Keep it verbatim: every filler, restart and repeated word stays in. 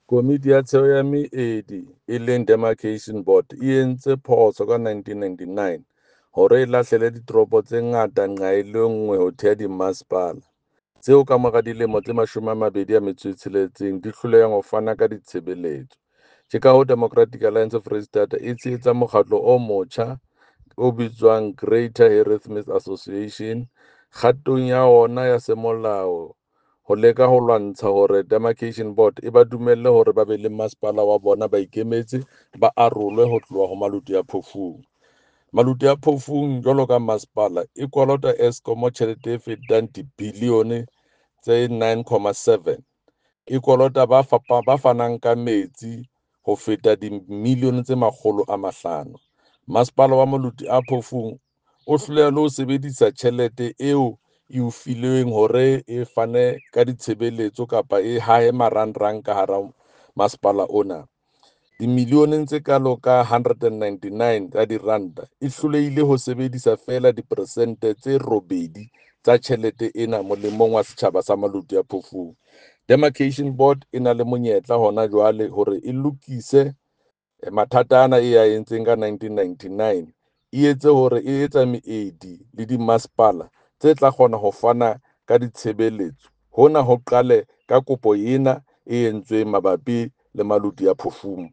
Komiti ya Tsheo ya Meedi e leng Demarcation Board e entse phoso ka nineteen ninety-nine hore e lahlele ditoropo tse ngata nqa e le nngwe ho thea dimmasepala, tseo kamora dilemo tse mashome a mabedi a metso e tsheletseng di hlolehang ho fana ka ditshebeletso. Ke ka hoo Democratic Alliance Foreisetata e tshehetsang mokgatlo o motjha o bitswang Greater Harrismith Association kgatong ya ona ya semolao ho leka ho lwantsha hore Demarcation Board e ba dumelle hore ba be le masepala wa bona ba ikemetse, ba arolwe ho tloha ho Maluti-a-Phofung. Maluti-a-Phofung jwalo ka masepala e kolota Eskom tjhelete e fetang dibilione tse nine comma seven, e kolota ba fapa, ba fanang ka metsi ho feta dimilione tse makgolo a mahlano. Masepala wa Maluti-a-Phofung o hloleha le ho sebedisa tjhelete eo e o filweng hore e fane ka ditshebeletso kapa e hahe marangrang ka hara masepala ona. Dimilioneng tse kalo ka hundred and ninety-nine tsa diranta e hlolehile ho sebedisa feela diperesente tse robedi tsa tjhelete ena molemong wa setjhaba sa Maluti-a-Phofung. Demarcation Board e na le monyetla hona jwale hore e lokise mathata ana e a entseng ka nineteen ninety-nine, e etse hore e etsa meedi le dimasepala tse tla kgona ho fana ka ditshebeletso. Hona ho qale ka kopo ena e entsweng mabapi le Maluti-a-Phofung.